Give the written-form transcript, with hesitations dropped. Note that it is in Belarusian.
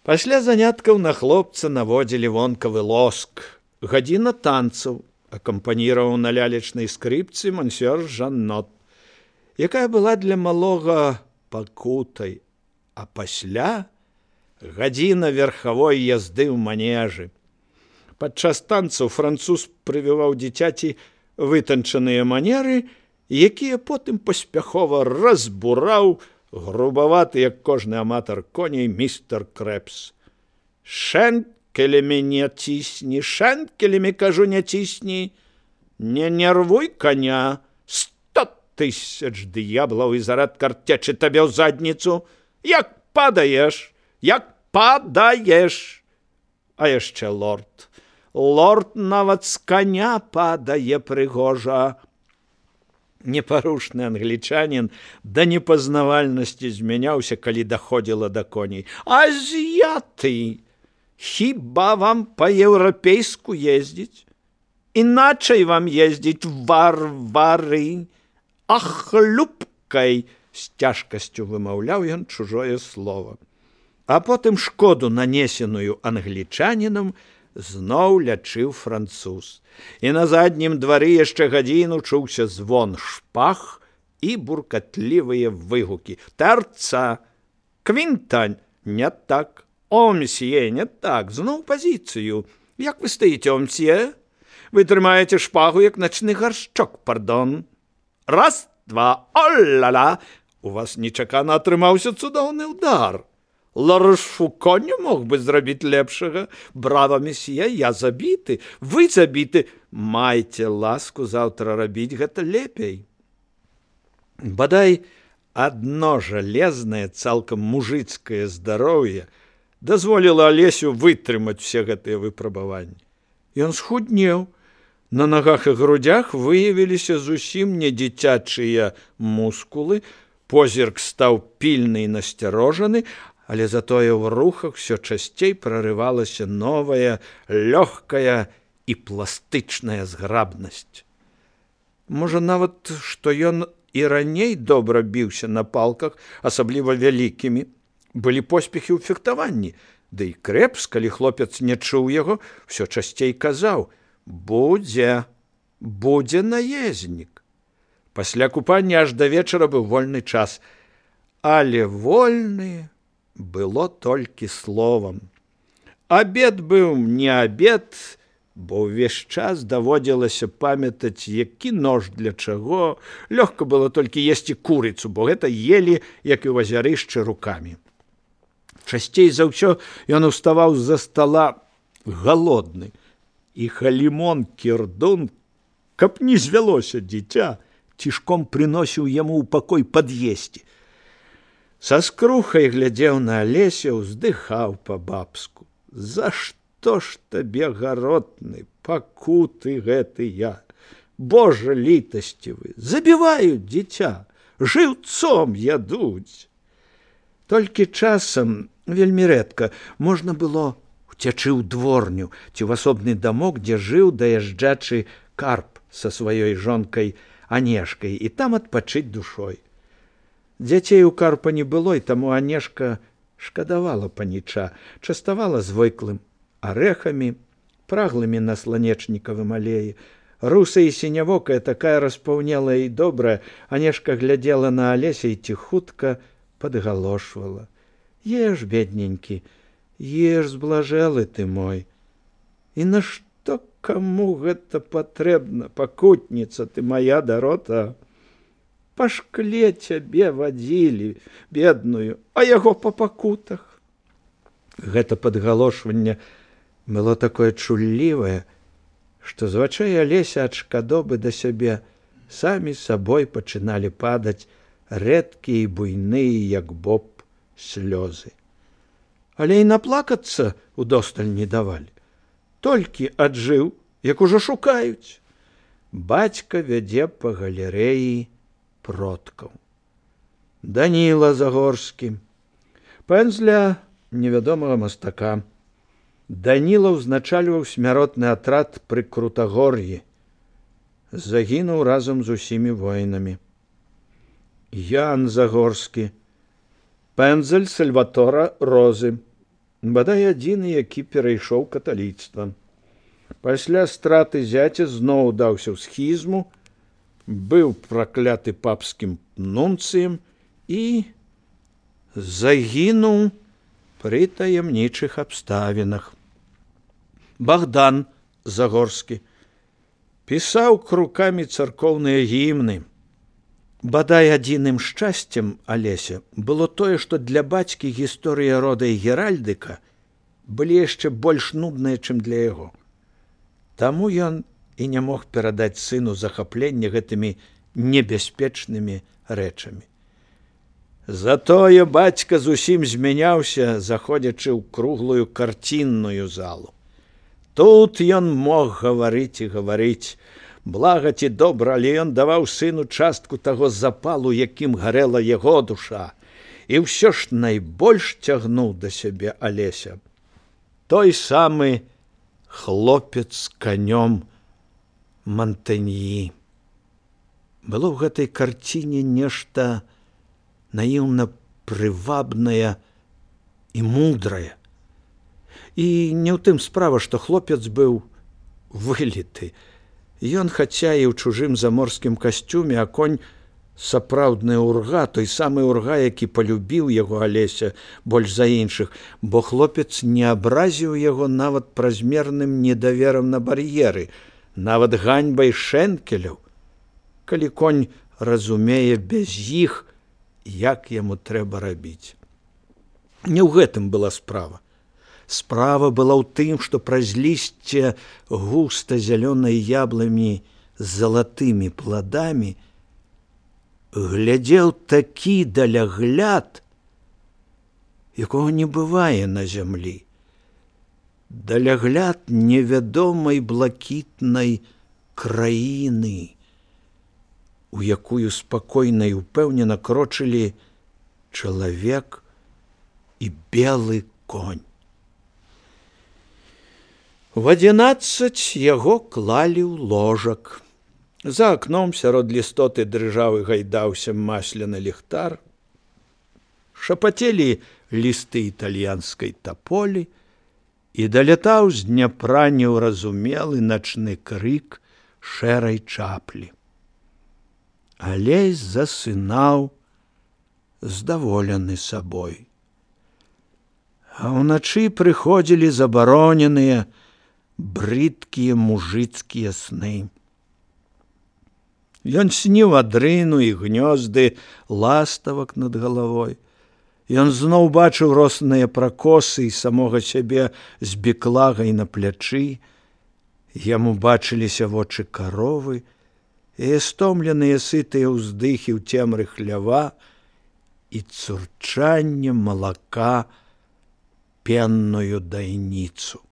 Пасля заняткаў на хлопца наводзілі вонкавы лоск. Гадзіна танцаў акампаніраваў на лялечнай скрыпцы мансёр Жаннот, якая была для малога пакутай, а пасля гадзіна верхавой язды ў манежы. Падчас танцаў француз прывіваў дзіцяці вытанчаныя манеры, якія потым паспяхова разбураў грубаваты, як кожны аматар коней, містер Крэпс. Шэнкелямі не цісні, шэнкелямі, кажу, не цісні, не нервуй коня, 100 000 д'яблаў і зарад карцечы табе ў задніцу, як падаеш, як падаеш. А яшчэ лорд. Лорд нават з коня падае прыгожа. Непарушны англічанін да непазнавальнасці змяняўся, калі даходзіла да коней. Азіяты! Хіба вам па-еўрапейску ездзіць? Іначай вам ездзіць, варвары! Ахлюбкай! З цяжкасцю вымаўляў ён чужое слово. А потым шкоду, нанесеную англічанінам, зноў лячыў француз. І на заднім двары яшчэ гадзіну чуўся звон шпаг і буркатлівыя выгукі. Тэрца! Квінтань! Не так! О, мсье, не так! Зноў пазіцыю! Як вы стаіце, о, мсье? Вы трымаеце шпагу, як начны гаршчок, пардон. Раз, два, о-ла-ла! У вас нечакана атрымаўся цудоўны ўдар. Ларышфуко не мог бы зрабіць лепшага. Брава, месье, я забіты, вы забіты. Майце ласку заўтра рабіць гэта лепей. Бадай, адно жалезнае, цалкам мужыцкае здароўе дазволіла Алесю вытрымаць усе гэтыя выпрабаванні. Ён схуднеў. На нагах і грудях выявіліся зусім не дзіцячыя мускулы, позірк стаў пільны і насцярожаны, але затое ў рухах все часцей прарывалася новая, лёгкая і пластычная зграбнасць. Можа, нават, што ён і раней добра біўся на палках, асабліва вялікімі. Былі поспехі ў фехтаванні, ды і Крэпс, калі хлопец не чуў яго, все часцей казаў: будзе наезнік. Пасля купання аж да вечара быў вольны час, але вольны было толькі словам. Абед быў не абед, бо ўвесь час даводзілася памятаць, які нож для чаго. Лёгка было толькі есці курыцу, бо гэта елі, як і ў азярышчы, рукамі. Часцей за ўсё ён уставаў з-за стала галодны, і халімон Кірдун, каб не звялося дзіця, цішком прыносіў яму ў пакой пад'есці. Са скрухай глядзеў на Алесю, уздыхаў па-бабску. За што ж табе, гаротны, пакуты гэтыя? Божа літасцівы, забіваюць дзіця, жыўцом ядуць. Толькі часам, вельмі рэдка, можна было уцячы ў дворню ці ў асобны дамок, дзе жыў даязджачы Карп са сваёй жонкай Анешкай, і там адпачыць душой. Дзяцей у Карпа не было, і таму Анешка шкадавала паніча, частавала звыклым арэхамі, праглымі на сланечнікавым алеі. Русая і сінявокая, такая распаўнелая і добрая, Анешка глядзела на Алеся і ціхутка падгалошвала: еш, бедненькі, еш, зблажэлы ты мой. І нашто каму гэта патрэбна, пакутніца ты моя, дарота? Па шкле цябе вадзілі, бедную, а яго па пакутах. Гэта падгалошванне было такое чуллівае, што з вачэй Алеся ад шкадобы да сябе самі сабой пачыналі падаць рэдкія і буйныя, як боб, слёзы. Але і наплакацца удосталь не давалі. Толькі аджыў, як ужо шукаюць. Бацька вядзе па галерэі продкаў. Даніла Загорскі, пэндзля невядомага мастака. Даніла ўзначальваў смяротны атрад пры Крутагор'і. Загінуў разам з усімі воінамі. Ян Загорскі, пэндзель Сальватора Розы, бадай адзіны, які перайшоў каталіцтва. Пасля страты зяця зноў даўся ў схізму, быў пракляты папскім нунцыем і загінуў пры таямнічых абставінах. Богдан Загорскі пісаў крукамі царкоўныя гімны. Бадай адзіным шчасцем Алеся было тое, што для бацькі гісторыя рода і геральдыка былі яшчэ больш нудныя, чым для яго. Таму ён і не мог перадаць сыну захапленне гэтымі небяспечнымі рэчамі. Затое бацька зусім змяняўся, заходзячы ў круглую карцінную залу. Тут ён мог гаварыць і гаварыць. Блага ці добра, але ён даваў сыну частку таго запалу, якім гарэла яго душа. І ўсё ж найбольш цягнуў да сябе Алеся. Той самы хлопец з канём Монтаньі. Было ў гэтай карціне нешта наіўна прывабнае і мудрае. І не ў тым справа, што хлопец быў выліты. Ён, хаця і ў чужым заморскім касцюме, а конь сапраўдны урга, той самы урга, які палюбіў яго Алеся больш за іншых, бо хлопец не абразіў яго нават празмерным недаверам на бар'еры, нават ганьбай шэнкеляў, калі конь разумее без іх, як яму трэба рабіць. Не ў гэтым была справа. Справа была ў тым, што праз лісце густа зялёнай яблымі з залатымі пладамі глядзеў такі далягляд, якога не бывае на зямлі. Далягляд невядомай блакітнай краіны, у якую спакойна і ўпэўнена крочылі чалавек і белы конь. В 11 яго клалі ў ложак. За акном сярод лістоты дрыжаў і гайдаўся масляны ліхтар. Шапацелі лісты італьянскай таполі, і далятаў з Дняпра неўразумелы начны крык шэрай чаплі. Алесь засынаў, здаволены сабой. А ўначы прыходзілі забароненыя, брыдкія мужыцкія сны. Ён сніў адрыну і гнёзды ластавак над галавой. Ён зноў бачыў росныя пракосы і самога сябе з беклагай на плячы. Яму бачыліся вочы каровы і стомленыя сытыя ўздыхі ў цемры хлява і цурчанне малака пенную дайніцу.